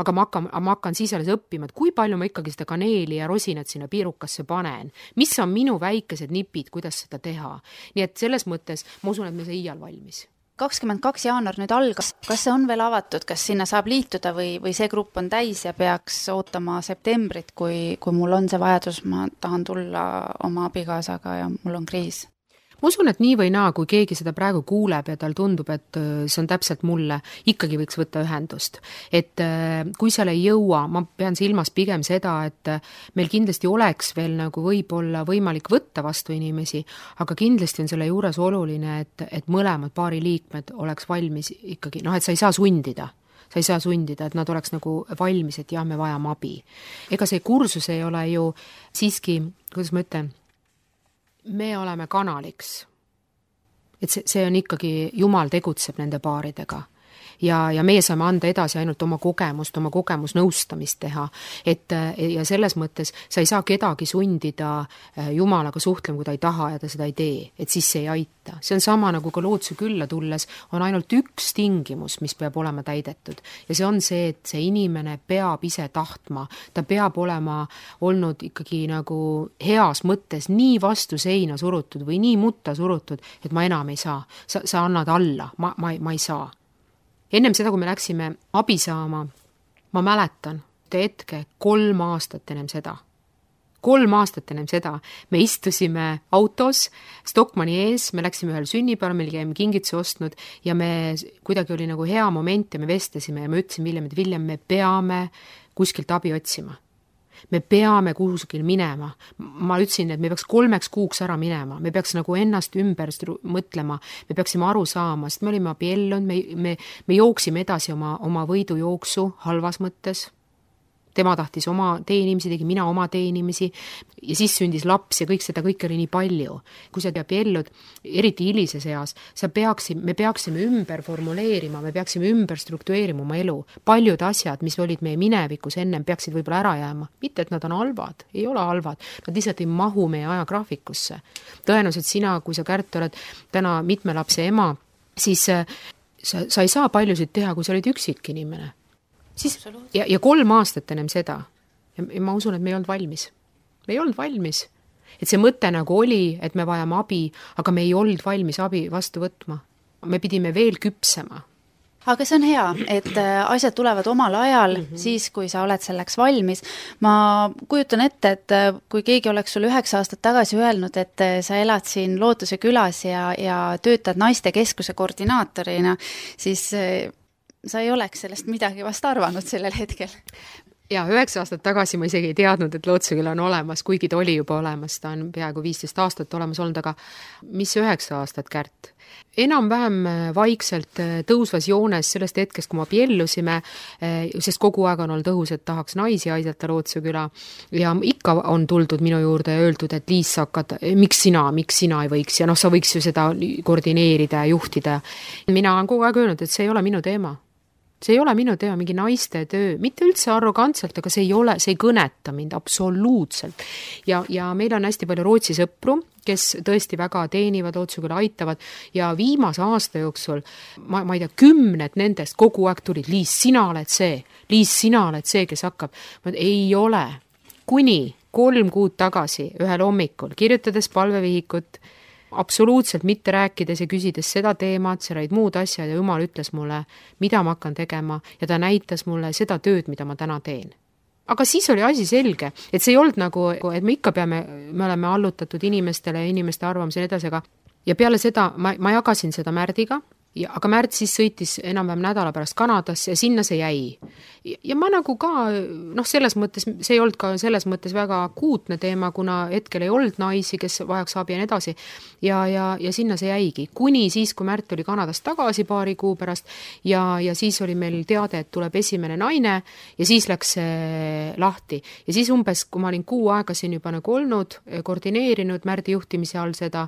Aga ma hakkan siis alles õppima, et kui palju ma ikkagi seda kaneeli ja rosinat sinna piirukasse panen. Mis on minu väikesed nipid, kuidas seda teha? Nii et selles mõttes ma usun, et me see iial valmis. 22. jaanuar nüüd algas. Kas see on veel avatud? Kas sinna saab liituda või see grupp on täis ja peaks ootama septembrit, kui mul on see vajadus, ma tahan tulla oma abikaasaga ja mul on kriis? Ma usun, et nii või naa, kui keegi seda praegu kuuleb ja tal tundub, et see on täpselt mulle, ikkagi võiks võtta ühendust. Et kui seal ei jõua, ma pean silmas pigem seda, et meil kindlasti oleks veel nagu võib-olla võimalik võtta vastu inimesi, aga kindlasti on selle juures oluline, et mõlemad paari liikmed oleks valmis ikkagi, et sa ei saa sundida. Sa ei saa sundida, et nad oleks nagu valmis, et jah, me vajame abi. Ega see kursus ei ole ju siiski, kuidas ma ütlen, me oleme kanaliks. Et see on ikkagi, Jumal tegutseb nende paaridega. Ja meie saame anda edasi ainult oma kogemusnõustamist teha. Ja selles mõttes sa ei saa kedagi sundida Jumalaga suhtlema, kui ta ei taha ja ta seda ei tee. Et siis see ei aita. See on sama nagu ka Loodusükülla tulles on ainult üks tingimus, mis peab olema täidetud. Ja see on see, et see inimene peab ise tahtma. Ta peab olema olnud ikkagi nagu heas mõttes nii vastu seina surutud või nii mutta surutud, et ma enam ei saa. Sa annad alla. Ma ei saa. Ennem seda, kui me läksime abi saama, ma mäletan hetke 3 aastat ennem seda. 3 aastat ennem seda me istusime autos Stockmanni ees, me läksime ühel sünnipäeval, meil käime kingituse ostnud ja me kuidagi oli nagu hea moment ja me vestlesime ja me ütlesime Viljem, me peame kuskilt abi otsima. Me peame kuskil minema. Ma ütlesin, et me peaks 3 kuuks ära minema. Me peaks nagu ennast ümber mõtlema. Me peaksime aru saama, sest me olime abiellunud, me jooksime edasi oma võidujooksu halvas mõttes. Tema tahtis oma teenimisi, tegi mina oma teenimisi ja siis sündis laps ja kõik oli nii palju. Kui sa abiellud, eriti hilises eas, me peaksime ümber formuleerima, me peaksime ümber struktureerima oma elu. Paljud asjad, mis olid meie minevikus ennem, peaksid võib-olla ära jääma. Mitte, et nad on halvad, ei ole halvad. Nad lihtsalt ei mahu meie ajagraafikusse. Tõenäoliselt sina, kui sa Kärt oled täna mitme lapse ema, siis sa ei saa paljusid teha, kui sa olid üksik inimene. Ja 3 aastat ennem seda. Ja ma usun, et me ei olnud valmis. Me ei olnud valmis. Et see mõte nagu oli, et me vajame abi, aga me ei olnud valmis abi vastu võtma. Me pidime veel küpsema. Aga see on hea, et asjad tulevad omal ajal, siis kui sa oled selleks valmis. Ma kujutan ette, et kui keegi oleks sul 9 aastat tagasi öelnud, et sa elad siin Loodusükülas ja töötad naistekeskuse koordinaatorina, siis sa ei oleks sellest midagi vast arvanud sellel hetkel. ja 9 aastat tagasi ma isegi ei teadnud, et Lootseküla on olemas, kuigi ta oli juba olemas, ta on peaaegu 15 aastat olemas olnud, aga mis 9 aastat, Kärt? Enam-vähem vaikselt tõusvas joones sellest hetkest, kui me abiellusime, sest kogu aeg on olnud õhus, et tahaks naisi aidata Lootseküla ja ikka on tuldud minu juurde ja öeldud, et Liis, sa hakkad, miks sina ei võiks ja sa võiks ju seda koordineerida ja juhtida. Mina olen kogu aeg öelnud, et see ei ole minu teema. See ei ole minu teema, mingi naiste töö, mitte üldse arrogantselt, aga see ei kõneta mind absoluutselt. Ja meil on hästi palju Rootsi sõpru, kes tõesti väga teenivad, Lootseküla aitavad ja viimase aasta jooksul, ma ei tea, 10 nendest kogu aeg tulid, Liis, sina oled see, kes hakkab. Ei ole. Kuni 3 kuud tagasi ühel hommikul, kirjutades palvevihikut, absoluutselt mitte rääkides ja küsides seda teemat, see olid muud asjad ja Jumal ütles mulle, mida ma hakkan tegema ja ta näitas mulle seda tööd, mida ma täna teen. Aga siis oli asi selge, et see ei olnud nagu, et me ikka me oleme allutatud inimestele ja inimeste arvamusele edasi, aga ja peale seda ma jagasin seda Märdiga, aga Märt siis sõitis enam-vähem nädala pärast Kanadasse ja sinna see jäi. Ja ma nagu ka, selles mõttes, see ei olnud ka selles mõttes väga akuutne teema, kuna hetkel ei olnud naisi, kes vajaks abi ja edasi. Ja sinna see jäigi. Kuni siis, kui Märt oli Kanadast tagasi paari kuu pärast ja siis oli meil teade, et tuleb esimene naine ja siis läks see lahti. Ja siis umbes, kui ma olin 6 aega siin juba nagu olnud, koordineerinud Märdi juhtimise all seda,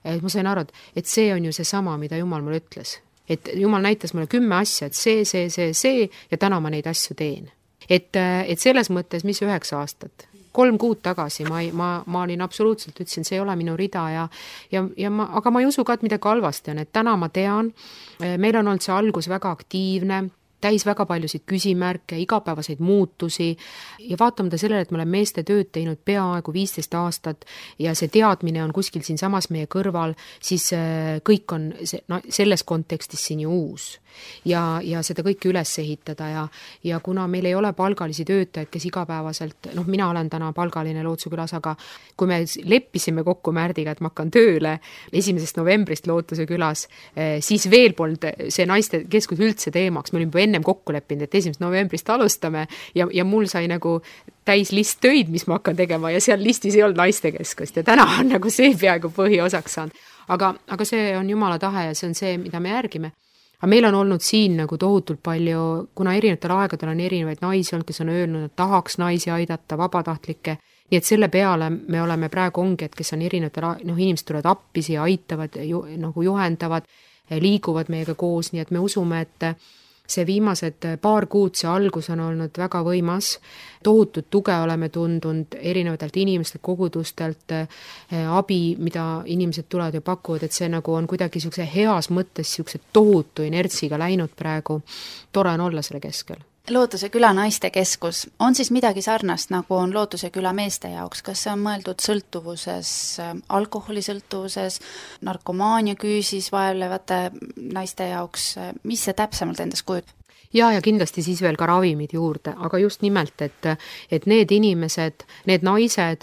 et ma sain aru, et see on ju see sama, mida Jumal mulle ütles. Et Jumal näitas mulle 10 asja, et see ja täna ma neid asju teen. Et selles mõttes, mis 9 aastat, 3 kuud tagasi ma olin absoluutselt, ütlesin, see ei ole minu rida aga ma ei usu ka, et midagi halvasti on, et täna ma tean, meil on olnud see algus väga aktiivne, täis väga paljusid küsimärke, igapäevaseid muutusi ja vaatamata sellele, et me oleme meeste tööd teinud peaaegu 15 aastat ja see teadmine on kuskil siin samas meie kõrval, siis kõik on selles kontekstis siin ju uus. Ja seda kõike üles ehitada ja kuna meil ei ole palgalisi töötajaid, kes igapäevaselt, mina olen täna palgaline Lootsekülas, aga kui me leppisime kokku Märdiga, et ma hakkan tööle 1. novembrist Lootsekülas, siis veel polnud see naiste keskus üldse teemaks, me olime juba ennem kokku leppinud, et 1. novembrist alustame ja mul sai nagu täis list töid, mis ma hakkan tegema ja seal listis ei olnud naiste keskust ja täna on nagu see peaaegu põhiosaks saanud. Aga see on Jumala tahe ja see on see, mida me järgime. Aga meil on olnud siin nagu tohutult palju, kuna erinevatel aegadel on erinevaid naisi olnud, kes on öelnud, et tahaks naisi aidata, vabatahtlikke, nii et selle peale me oleme praegu ongi, et kes on erinevatel, inimesed tulevad appi siia, aitavad, juhendavad, liiguvad meiega koos, nii et me usume, et see viimased paar kuud, see algus on olnud väga võimas, tohutut tuge oleme tundunud erinevatelt inimestelt, kogudustelt, abi, mida inimesed tulevad ja pakuvad, et see nagu on kuidagi heas mõttes tohutu inertsiga läinud praegu. Tore on olla selle keskel. Lootuseküla naistekeskus on siis midagi sarnast, nagu on Lootuseküla meeste jaoks, kas see on mõeldud sõltuvuses, alkoholisõltuvuses, narkomaania küüsis vaevlevate naiste jaoks, mis see täpsemalt endast kujutab? Ja kindlasti siis veel ka ravimid juurde, aga just nimelt, et need inimesed, need naised,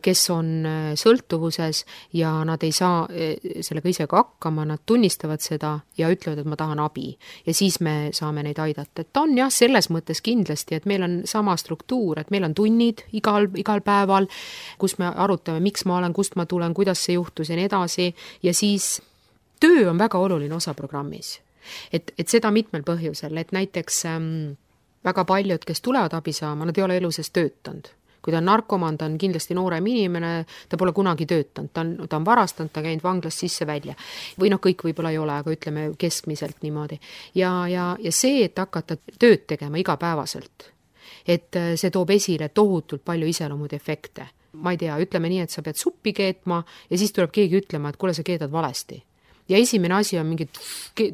kes on sõltuvuses ja nad ei saa sellega ise ka hakkama, nad tunnistavad seda ja ütlevad, et ma tahan abi ja siis me saame neid aidata. Et on jah, selles mõttes kindlasti, et meil on sama struktuur, et meil on tunnid igal päeval, kus me arutame, miks ma olen, kust ma tulen, kuidas see juhtus ja nii edasi ja siis töö on väga oluline osa programmis. Et seda mitmel põhjusel, et näiteks väga paljud, kes tulevad abi saama, nad ei ole eluses töötanud. Kui ta on narkomaan, ta on kindlasti noorem inimene, ta pole kunagi töötanud, ta on varastanud, ta käinud vanglast sisse välja. Või kõik võib-olla ei ole, aga ütleme keskmiselt niimoodi. Ja see, et hakata tööd tegema igapäevaselt, et see toob esile tohutult palju iseloomud efekte. Ma ei tea, ütleme nii, et sa pead suppi keetma ja siis tuleb keegi ütlema, et kuule, sa keedad valesti. Ja esimene asi on mingid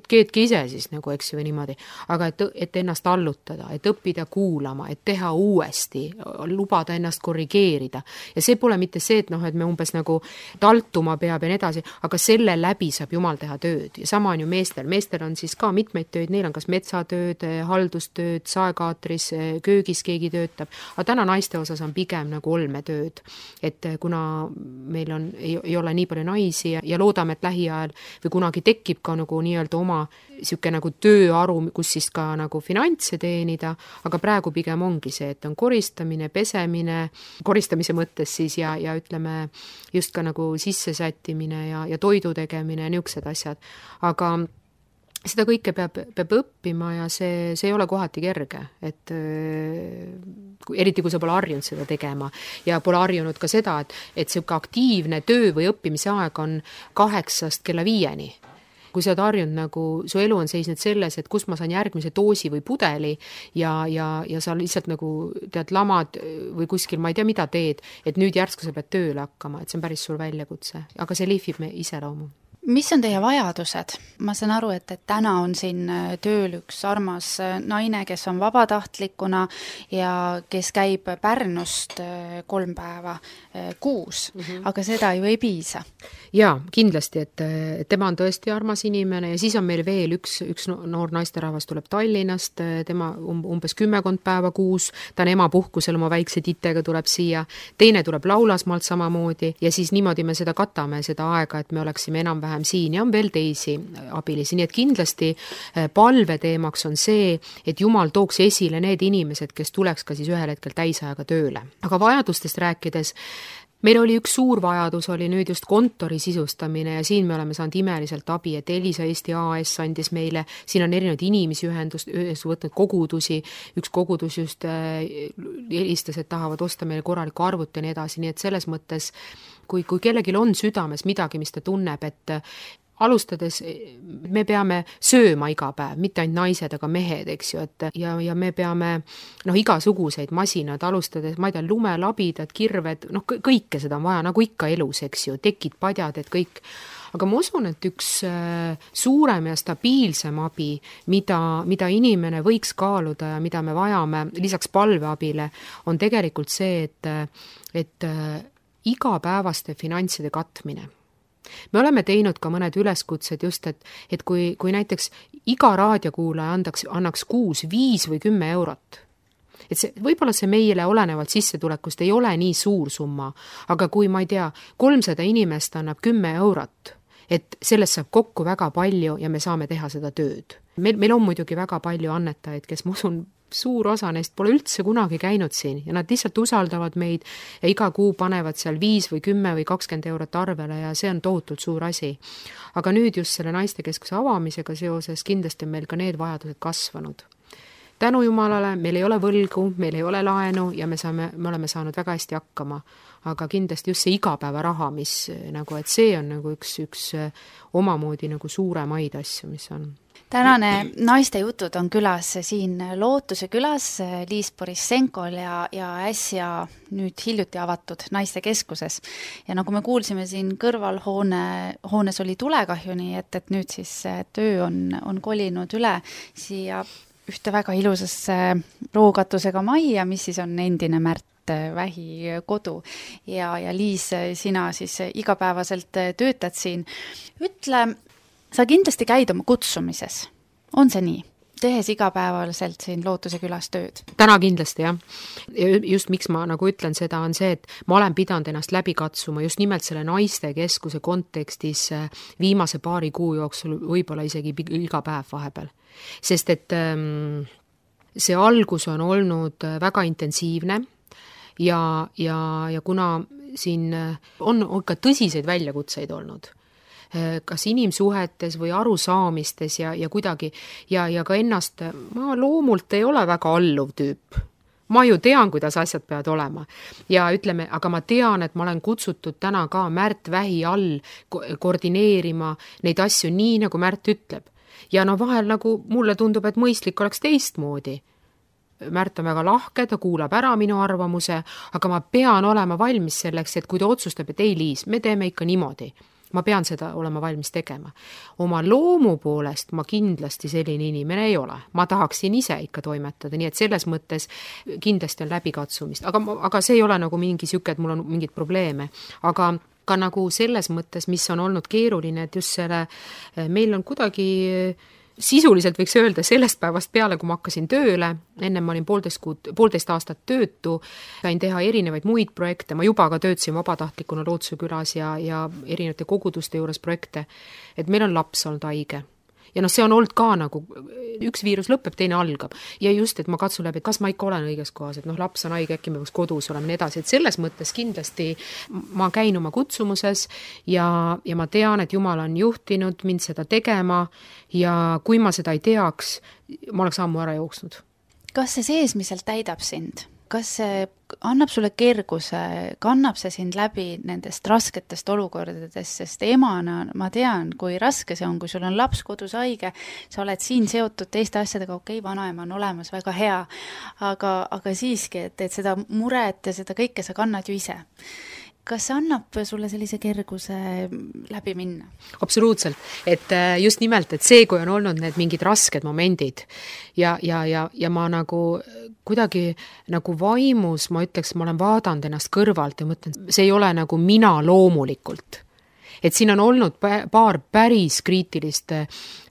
keedki ise siis nagu, eks ju, või niimoodi. Aga et ennast allutada, et õppida kuulama, et teha uuesti, lubada ennast korrigeerida. Ja see pole mitte see, et me umbes nagu taltuma peab ja nii edasi, aga selle läbi saab Jumal teha tööd. Ja sama on ju meestel. Meestel on siis ka mitmeid tööd, neil on kas metsatööd, haldustööd, saekaatris, köögis keegi töötab. Aga täna naiste osas on pigem nagu olmetööd. Et kuna meil ei ole nii palju naisi ja loodame, et lähiajal või kunagi tekib ka nagu nii-öelda oma niisugune nagu tööaru, kus siis ka nagu finantse teenida, aga praegu pigem ongi see, et on koristamine, pesemine, koristamise mõttes siis ja ütleme just ka nagu sissesättimine ja toidu tegemine ja niisugused asjad. Aga seda kõike peab õppima ja see ei ole kohati kerge, et eriti kui sa pole harjunud seda tegema ja pole harjunud ka seda, et niisugune aktiivne töö või õppimise aeg on 8 kella 5. Kui sa oled harjunud nagu, su elu on seisnud selles, et kus ma saan järgmise doosi või pudeli ja sa lihtsalt nagu tead lamad või kuskil, ma ei tea, mida teed, et nüüd järsku sa pead tööle hakkama, et see on päris suur väljakutse, aga see lihvib me iseloomu. Mis on teie vajadused? Ma saan aru, et täna on siin tööl üks armas naine, kes on vabatahtlikuna ja kes käib Pärnust 3 päeva kuus, aga seda ju ei piisa. Jaa, kindlasti, et tema on tõesti armas inimene ja siis on meil veel üks noor naisterahvas tuleb Tallinnast, tema umbes 10 päeva kuus, ta on emapuhkusel oma väikse titega tuleb siia, teine tuleb Laulasmaalt samamoodi ja siis niimoodi me seda katame, seda aega, et me oleksime enam-vähem siin ja on veel teisi abilisi, nii et kindlasti palveteemaks on see, et Jumal tooks esile need inimesed, kes tuleks ka siis ühel hetkel täisajaga tööle. Aga vajadustest rääkides, meil oli üks suur vajadus, oli nüüd just kontori sisustamine ja siin me oleme saanud imeliselt abi, et Elisa Eesti AS andis meile, siin on erinevad inimesi võtnud kogudusi, üks kogudus just helistas, et tahavad osta meile korralikku arvut ja nii edasi, nii et selles mõttes, kui kellelgi on südames midagi, mis ta tunneb, et alustades me peame sööma iga päev, mitte ainult naised, aga mehed, eks ju, et ja me peame igasuguseid masinad alustades, ma ei tea, lumelabidad, kirved, kõike seda on vaja, nagu ikka elus, eks ju, tekid, padjad, et kõik. Aga ma usun, et üks suurem ja stabiilsem abi, mida inimene võiks kaaluda ja mida me vajame lisaks palveabile, on tegelikult see, et igapäevaste finantside katmine. Me oleme teinud ka mõned üleskutsed just, et kui näiteks iga raadiokuulaja annaks kuus 5 või 10 eurot, et võib-olla see meile olenevalt sissetulekust ei ole nii suur summa, aga kui ma ei tea, 300 inimest annab 10 eurot, et sellest saab kokku väga palju ja me saame teha seda tööd. Meil on muidugi väga palju annetajaid, kes ma usun, suur osa neist pole üldse kunagi käinud siin ja nad lihtsalt usaldavad meid ja iga kuu panevad seal 5 või 10 või 20 eurot arvele ja see on tohutult suur asi. Aga nüüd just selle naistekeskuse avamisega seoses kindlasti on meil ka need vajadused kasvanud. Tänu Jumalale, meil ei ole võlgu, meil ei ole laenu ja me oleme saanud väga hästi hakkama, aga kindlasti just see igapäevaraha, mis nagu, et see on nagu üks omamoodi nagu suuremaid asju, mis on. Tänane naiste jutud on külas siin Lootuse külas Liis Borissenkol ja äsja nüüd hiljuti avatud naistekeskuses. Ja nagu me kuulsime siin kõrval hoones oli tulekahju, nii et nüüd siis töö on kolinud üle siia ühte väga ilusasse rookatusega majja, mis siis on endine Märt Vähi kodu ja Liis, sina siis igapäevaselt töötad siin. Ütle, sa kindlasti käid oma kutsumises, on see nii? Tehes igapäevaselt siin Lootuse külas tööd? Täna kindlasti, jah. Just miks ma nagu ütlen seda, on see, et ma olen pidanud ennast läbi katsuma just nimelt selle naistekeskuse kontekstis viimase paari kuu jooksul, võib-olla isegi iga päev vahepeal. Sest et see algus on olnud väga intensiivne ja kuna siin on ka tõsiseid väljakutseid olnud, kas inimsuhetes või arusaamistes ja kuidagi ja ka ennast, ma loomult ei ole väga alluv tüüp. Ma ju tean, kuidas asjad peavad olema ja ütleme, aga ma tean, et ma olen kutsutud täna ka Märt Vähi all koordineerima neid asju nii, nagu Märt ütleb. Ja vahel nagu mulle tundub, et mõistlik oleks teistmoodi. Märt on väga lahke, ta kuulab ära minu arvamuse, aga ma pean olema valmis selleks, et kui ta otsustab, et ei Liis, me teeme ikka niimoodi. Ma pean seda olema valmis tegema. Oma loomu poolest ma kindlasti selline inimene ei ole. Ma tahaksin ise ikka toimetada, nii et selles mõttes kindlasti on läbikatsumist. Aga see ei ole nagu mingi siuke, et mul on mingid probleeme. Aga ka nagu selles mõttes, mis on olnud keeruline, et just meil on kuidagi sisuliselt võiks öelda sellest päevast peale, kui ma hakkasin tööle, enne ma olin 1,5 aastat töötu, sain teha erinevaid muid projekte, ma juba ka töötasin vabatahtlikuna Lootsuse külas ja erinevate koguduste juures projekte, et meil on laps olnud haige. Ja see on olnud ka nagu, üks viirus lõpeb, teine algab. Ja just, et ma katsun läbi, et kas ma ikka olen õiges kohas, et laps on haige, äkki me võiks kodus olema nii edasi. Et selles mõttes kindlasti ma käin oma kutsumuses ja ma tean, et Jumal on juhtinud mind seda tegema ja kui ma seda ei teaks, ma oleks ammu ära jooksnud. Kas see seesmiselt täidab sind? Kas see annab sulle kerguse, kannab see sind läbi nendest rasketest olukordadest, sest emana ma tean, kui raske see on, kui sul on laps kodus haige, sa oled siin seotud teiste asjadega, okei, vanaema on olemas, väga hea, aga siiski, et seda muret ja seda kõike sa kannad ju ise. Kas see annab sulle sellise kerguse läbi minna? Absoluutselt, et just nimelt, et see, kui on olnud need mingid rasked momendid ja ma nagu kuidagi nagu vaimus, ma ütleks, ma olen vaadanud ennast kõrvalt ja mõtlen, see ei ole nagu mina loomulikult. Et siin on olnud paar päris kriitilist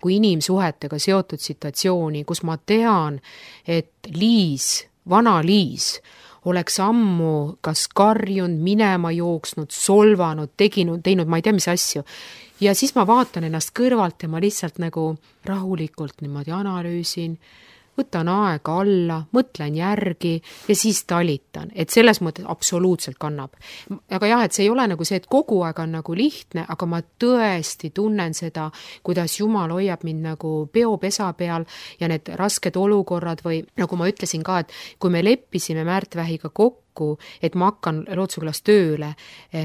kui inimsuhetega seotud situatsiooni, kus ma tean, et Liis, vana Liis, oleks ammu kas karjunud, minema jooksnud, solvanud, teinud ma ei tea mis asju. Ja siis ma vaatan ennast kõrvalt ja ma lihtsalt nagu rahulikult niimoodi analüüsin, võtan aega alla, mõtlen järgi ja siis talitan, et selles mõttes absoluutselt kannab. Aga jah, et see ei ole nagu see, et kogu aeg on nagu lihtne, aga ma tõesti tunnen seda, kuidas Jumal hoiab mind nagu peopesa peal ja need rasked olukorrad või nagu ma ütlesin ka, et kui me leppisime Märt Vähiga kokku, et ma hakkan Lootsuse külas tööle,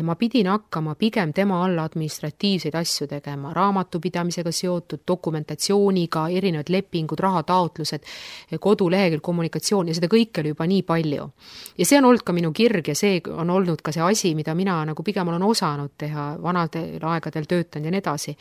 ma pidin hakkama pigem tema alla administratiivseid asju tegema, raamatupidamisega seotud, dokumentatsiooniga, erinevad lepingud, rahataotlused, kodulehekülg, kommunikatsioon ja seda kõike oli juba nii palju. Ja see on olnud ka minu kirg ja see on olnud ka see asi, mida mina nagu pigem olen osanud teha, vanadel aegadel töötan ja nii edasi.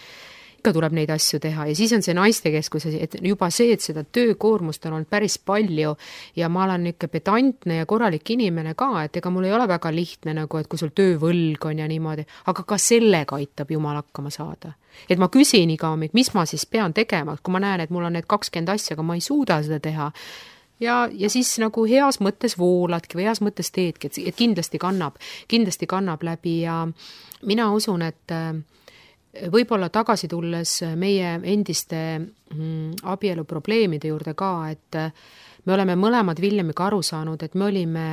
Ikka tuleb neid asju teha ja siis on see naistekeskus, et juba see, et seda töökoormust on olnud päris palju ja ma olen ikka pedantne ja korralik inimene ka, et ega mul ei ole väga lihtne nagu, et kui sul töövõlg on ja niimoodi, aga ka sellega aitab Jumal hakkama saada. Et ma küsin iga hommik, mis ma siis pean tegema, kui ma näen, et mul on need 20 asja, aga ma ei suuda seda teha. Ja siis nagu heas mõttes vooladki või heas mõttes teedki, et kindlasti kannab läbi ja mina usun, et võib-olla tagasi tulles meie endiste abielu probleemide juurde ka, et me oleme mõlemad Viljamiga aru saanud, et me olime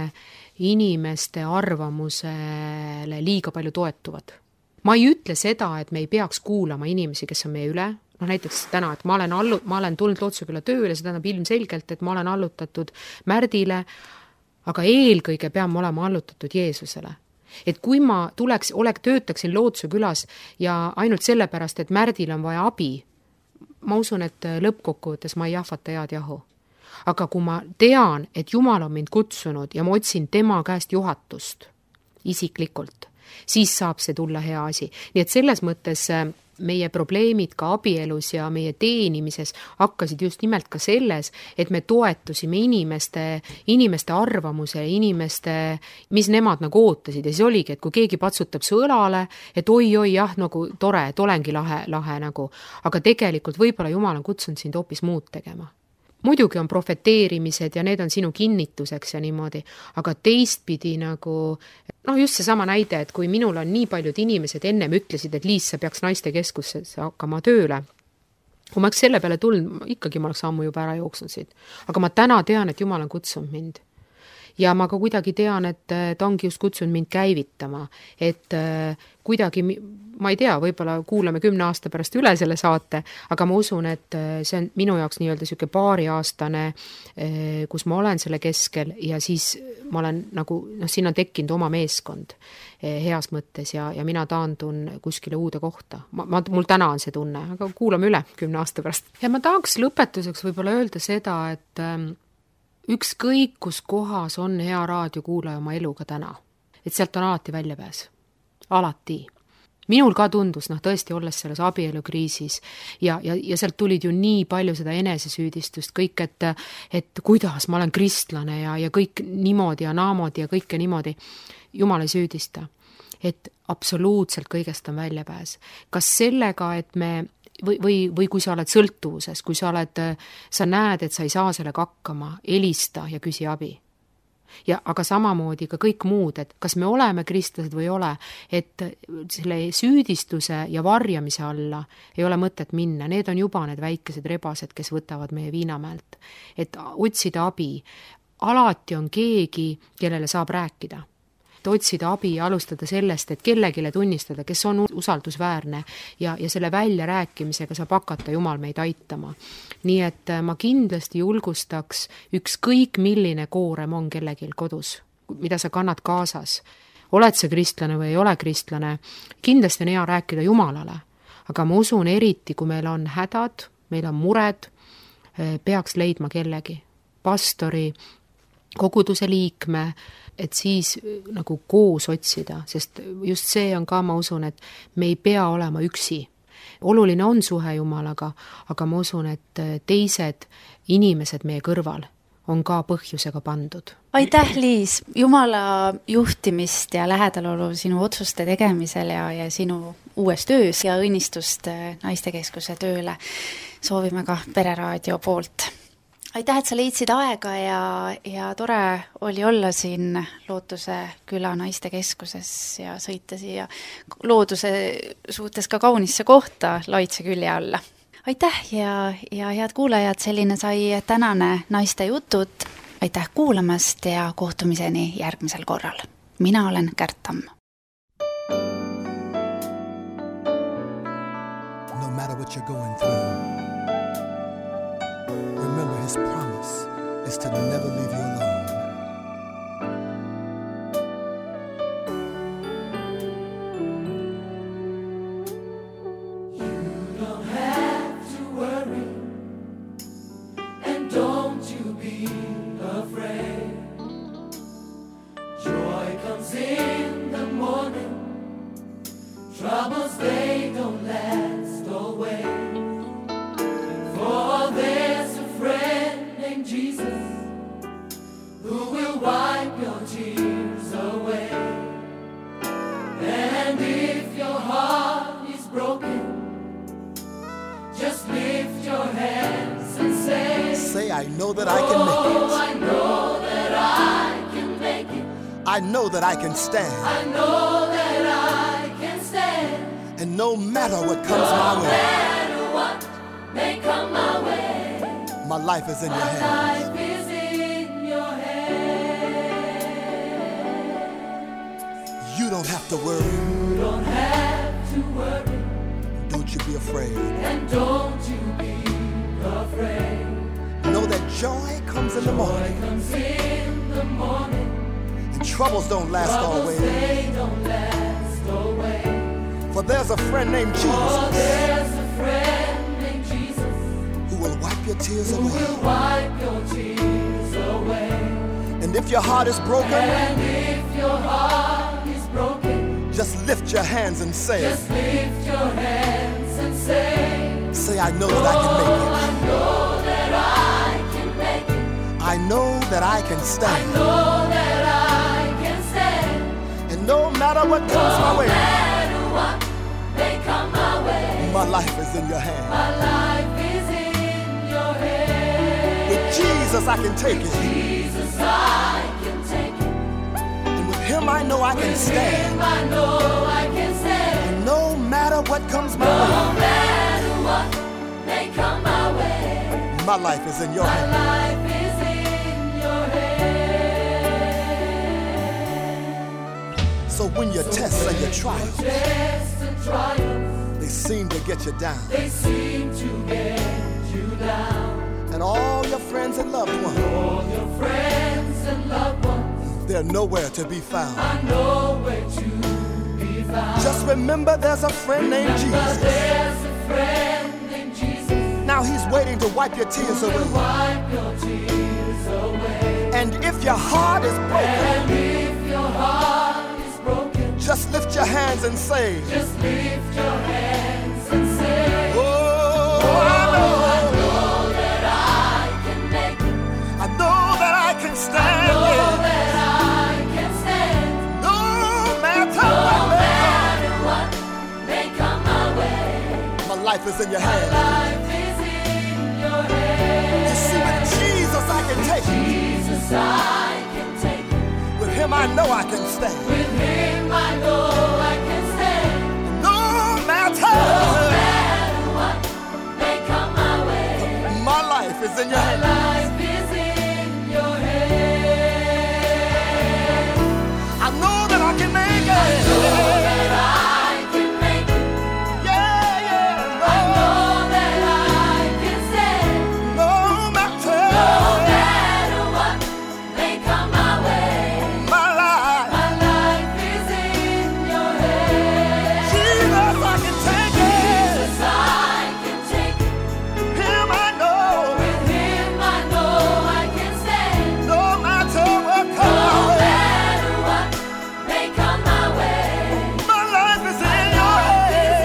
inimeste arvamusele liiga palju toetuvad. Ma ei ütle seda, et me ei peaks kuulama inimesi, kes on meie üle, näiteks täna, et ma olen tulnud Lootsuse küla tööle, see tähendab ilmselgelt, et ma olen allutatud Märdile, aga eelkõige pean ma olema allutatud Jeesusele. Et kui ma töötaksin Lootsuse külas ja ainult sellepärast, et Märdil on vaja abi, ma usun, et lõppkokkuvõttes ma ei jahvata head jahu. Aga kui ma tean, et Jumal on mind kutsunud ja ma otsin tema käest juhatust isiklikult, siis saab see tulla hea asi. Nii et selles mõttes meie probleemid ka abielus ja meie teenimises hakkasid just nimelt ka selles, et me toetusime inimeste arvamuse, mis nemad nagu ootasid. Ja siis oligi, et kui keegi patsutab su õlale, et oi, jah, nagu tore, et olengi lahe nagu. Aga tegelikult võib-olla Jumal on kutsunud sind hoopis muud tegema. Muidugi on profeteerimised ja need on sinu kinnituseks ja niimoodi, aga teistpidi nagu, just see sama näide, et kui minul on nii paljud inimesed ennem ütlesid, et Liis, sa peaks naistekeskusse hakkama tööle. Kui ma selle peale tulnud, ikkagi ma oleks ammu juba ära jooksnud siit. Aga ma täna tean, et Jumal on kutsunud mind. Ja ma ka kuidagi tean, et ta ongi just kutsunud mind käivitama, et kuidagi, ma ei tea, võib-olla kuulame 10 aasta pärast üle selle saate, aga ma usun, et see on minu jaoks nii-öelda selline paariaastane, kus ma olen selle keskel ja siis ma olen nagu, siin on tekkinud oma meeskond heas mõttes ja mina taandun kuskile uude kohta. Mul täna on see tunne, aga kuulame üle 10 aasta pärast. Ja ma tahaks lõpetuseks võib-olla öelda seda, et ükskõik, kus kohas on hea raadiokuulaja oma eluga täna. Et sealt on alati väljapääs. Alati. Minul ka tundus, tõesti olles selles abielukriisis ja sealt tulid ju nii palju seda enesesüüdistust, kõik, et kuidas ma olen kristlane ja kõik niimoodi ja naamoodi ja kõike niimoodi. Jumal ei süüdista. Et absoluutselt kõigest on väljapääs. Kas sellega, et me või kui sa oled sõltuvuses, kui sa näed, et sa ei saa sellega hakkama, helista ja küsi abi. Aga samamoodi ka kõik muud, et kas me oleme kristlased või ei ole, et selle süüdistuse ja varjamise alla ei ole mõtet minna, need on juba need väikesed rebased, kes võtavad meie viinamäelt. Et otsida abi, alati on keegi, kellele saab rääkida. Et otsida abi ja alustada sellest, et kellegile tunnistada, kes on usaldusväärne ja selle välja rääkimisega saab hakata Jumal meid aitama. Nii et ma kindlasti julgustaks ükskõik milline koorem on kellegil kodus, mida sa kannad kaasas. Oled sa kristlane või ei ole kristlane, kindlasti on hea rääkida Jumalale. Aga ma usun eriti, kui meil on hädad, meil on mured, peaks leidma kellegi. Pastori, koguduse liikme, et siis nagu koos otsida, sest just see on ka, ma usun, et me ei pea olema üksi. Oluline on suhe Jumalaga, aga ma usun, et teised inimesed meie kõrval on ka põhjusega pandud. Aitäh, Liis! Jumala juhtimist ja lähedalolu sinu otsuste tegemisel ja sinu uues töös ja õnnistust naistekeskuse tööle soovime ka Pereraadio poolt. Aitäh, et sa leidsid aega ja tore oli olla siin Lootuse küla naistekeskuses ja sõita siia looduse suhtes ka kaunisse kohta Laitse külje alla. Aitäh ja head kuulajad, selline sai tänane naiste jutud. Aitäh kuulamast ja kohtumiseni järgmisel korral. Mina olen Kärt Tamm. No matter what you're going through, remember his promise is to never leave you alone. You don't have to worry, and don't you be afraid. Joy comes in the morning, troubles they don't last always. For there's a friend named Jesus who will wipe your tears away. And if your heart is broken, just lift your hands and say, I know that I can make it. Oh, I know that I can make it. I know that I can stand. I know that I can stand. And no matter what comes my way, no matter what may come my way, my life is in your hands. My life is in your hands. You don't have to worry. You don't have to worry. Don't you be afraid. And don't you be afraid. Know that joy comes in the morning. Joy comes in the morning. And troubles don't last always. They don't last always. For there's a friend named Jesus. For there's a friend named Jesus who will wipe your tears away. Who will wipe your tears away. And if your heart is broken, and if your heart is broken, just lift your hands and say, just lift your hands and say, I know that I can make it. I know that I can make it. I know that I can stand. I know that I can stand. And no matter what comes my way, no matter what may come my way, my life is in your hands. My life is in your hands. With Jesus I can take it. With Jesus I can take it. And with him I know I can stand. With him I know I can stand. And no matter what comes my way, no matter what may come my way, my life is in your hands. My life is in your hands. So when your tests and your trials, they seem to get you down. They seem to get you down. And all your friends and loved ones, all your friends and loved ones, they're nowhere to be found. Are nowhere to be found. Just remember there's a friend named Jesus. There's a friend named Jesus. Now he's waiting to wipe your tears away. Wipe your tears away. And if your heart is broken, and if your heart is broken, just lift your hands and say, just lift your hands and say, oh, I know that I can make it. I know that I can stand. I know that I can stand. No matter what may come my way, my life is in your hand. Life is in your hands. You see, with Jesus I can take it. Jesus, I can take it. With him I know I can stand. With him I know I can stand. No matter What may come my way. my life is in your My hand. life is in your hands. I know that I can make it. That I can make it. Yeah, yeah. I know that I can stand. No matter No matter what may come my way. my life. My life is in your hands. Jesus, I can take it. Jesus, I can take it. Him I know. With him I know I can stand. No matter what No comes my way. matter what may come my way. My life is in your hands.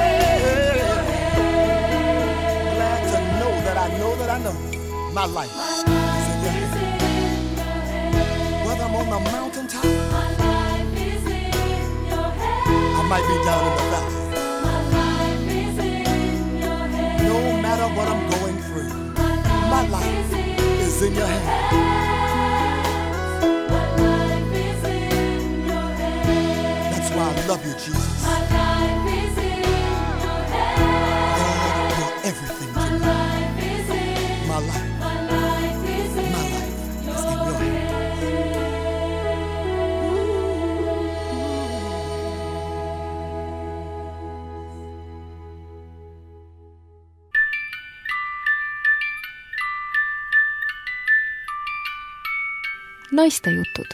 Glad to know that I know that I know my life is in your hands. Whether I'm on the mountaintop, My life is in your hands. I might be down in the valley. My life is in your hands. No matter what I'm going through, my life is in your hands. My life is in your hands. That's why I love you, Jesus. My life is in your hands. God, you're everything to My me. life is in. My life, My life is in. my life is in your hands. naistejutud